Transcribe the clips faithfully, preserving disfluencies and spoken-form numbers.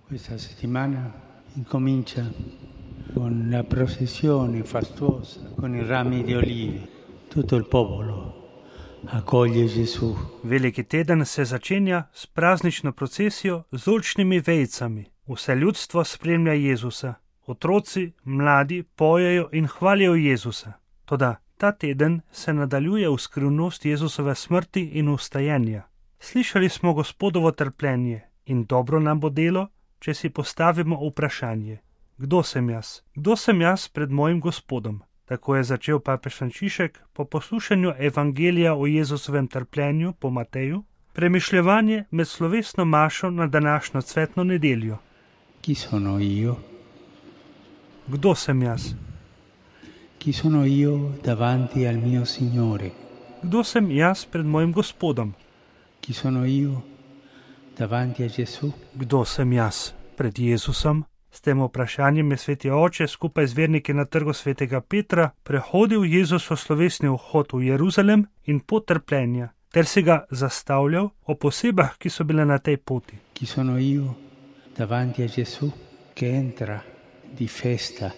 Questa settimana incomincia con la processione fastuosa, con i rami di olivi. Tutto il popolo accoglie Gesù. Veliki teden se začenja s praznično procesijo z oljčnimi vejicami. Vse ljudstvo spremlja Jezusa. Otroci, mladi pojejo in hvalijo Jezusa. Toda ta teden se nadaljuje v skrivnost Jezusove smrti in vstajenja. Slišali smo Gospodovo trpljenje in dobro nam bo delo, če si postavimo vprašanje. Kdo sem jaz? Kdo sem jaz pred mojim Gospodom? Tako je začel papež Frančišek po poslušanju evangelija o Jezusovem trpljenju po Mateju, premišljevanje med slovesno mašo na današnjo cvetno nedeljo. Chi sono io? Kdo sem jaz? Chi sono io davanti al mio Signore? Kdo sem jaz pred mojim Gospodom? Chi sono io davanti a Gesù? Kdo sem jaz pred Jezusom? S tem vprašanjem je sveti oče skupaj z verniki na trgu svetega Petra prehodil Jezusov slovesni vhod v Jeruzalem in pot trpljenja, ter si ga zastavljal ob osebah, ki so bile na tej poti. Chi sono io davanti a Gesù che entra di festa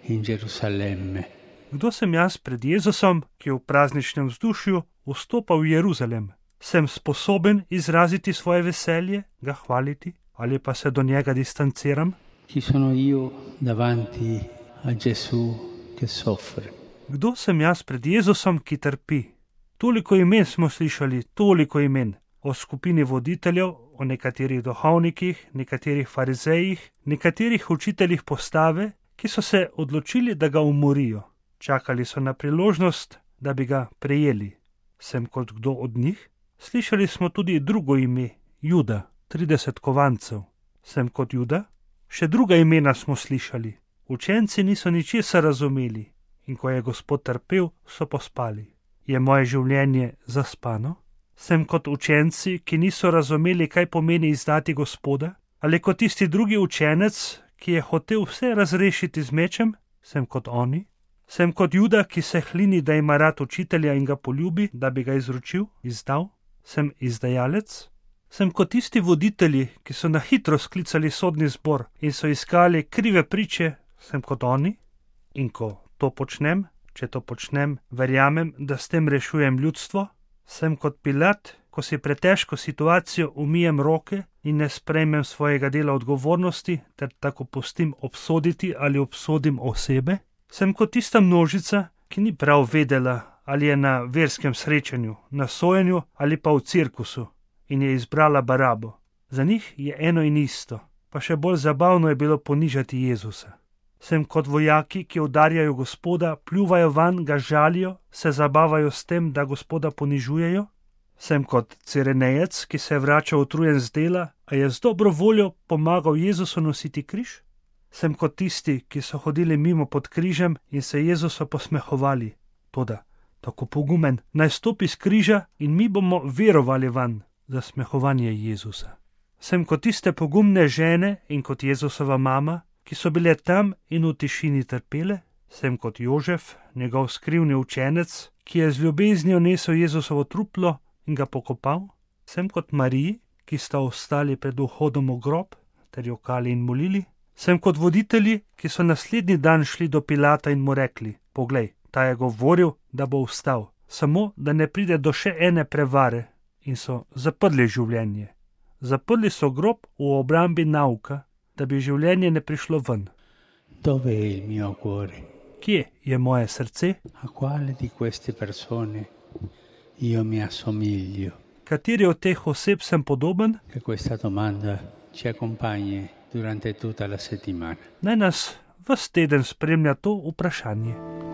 in Gerusalemme? Kdo sem jaz pred Jezusom, ki v prazničnem vzdušju vstopa v Jeruzalem? Sem sposoben izraziti svoje veselje, ga hvaliti, ali pa se do njega distanciram? Chi sono io davanti a Gesù che soffre? Kdo sem jaz pred Jezusom, ki trpi? Toliko imen smo slišali, toliko imen. O skupini voditeljev, o nekaterih duhovnikih, nekaterih farizejih, nekaterih učiteljih postave, ki so se odločili, da ga umorijo. Čakali so na priložnost, da bi ga prejeli. Sem kot kdo od njih? Slišali smo tudi drugo ime, Juda, trideset kovancev. Sem kot Juda? Še druga imena smo slišali. Učenci niso ničesar razumeli in ko je Gospod trpel, so pospali. Je moje življenje zaspano? Sem kot učenci, ki niso razumeli, kaj pomeni izdati Gospoda? Ali kot tisti drugi učenec, ki je hotel vse razrešiti z mečem? Sem kot oni? Sem kot Juda, ki se hlini, da ima rad učitelja in ga poljubi, da bi ga izročil, izdal? Sem izdajalec? Sem kot tisti voditelji, ki so na hitro sklicali sodni zbor in so iskali krive priče, sem kot oni? In ko to počnem, če to počnem, verjamem, da s tem rešujem ljudstvo? Sem kot Pilat, ko si pred težko situacijo umijem roke in ne sprejmem svojega dela odgovornosti ter tako pustim obsoditi ali obsodim osebe? Sem kot tista množica, ki ni prav vedela, ali je na verskem srečanju, na sojenju ali pa v cirkusu, in je izbrala Barabo. Za njih je eno in isto, pa še bolj zabavno je bilo ponižati Jezusa. Sem kot vojaki, ki udarjajo Gospoda, pljuvajo van, ga žalijo, se zabavajo s tem, da Gospoda ponižujejo. Sem kot Cirenejec, ki se je vračal utrujen z dela, a je z dobro voljo pomagal Jezusu nositi križ. Sem kot tisti, ki so hodili mimo pod križem in se Jezusu posmehovali. Toda, tako pogumen, naj stopi z križa in mi bomo verovali van. Zasmehovanje Jezusa. Sem kot tiste pogumne žene in kot Jezusova mama, ki so bile tam in v tišini trpele. Sem kot Jožef, njegov skrivni učenec, ki je z ljubeznijo nesel Jezusovo truplo in ga pokopal. Sem kot Mariji, ki sta ostali pred vhodom v grob ter jokali in molili. Sem kot voditelji, ki so naslednji dan šli do Pilata in mu rekli: Poglej, ta je govoril, da bo vstal, samo da ne pride do še ene prevare. In so zaprli življenje. Zaprli so grob v obrambi nauka, da bi življenje ne prišlo ven. Dove è il mio cuore? Kje je moje srce? A quale di queste persone io mi assomiglio? Kateri od teh oseb sem podoben? Che questa domanda ci accompagni durante tutta la settimana. Naj nas ves teden spremlja to vprašanje.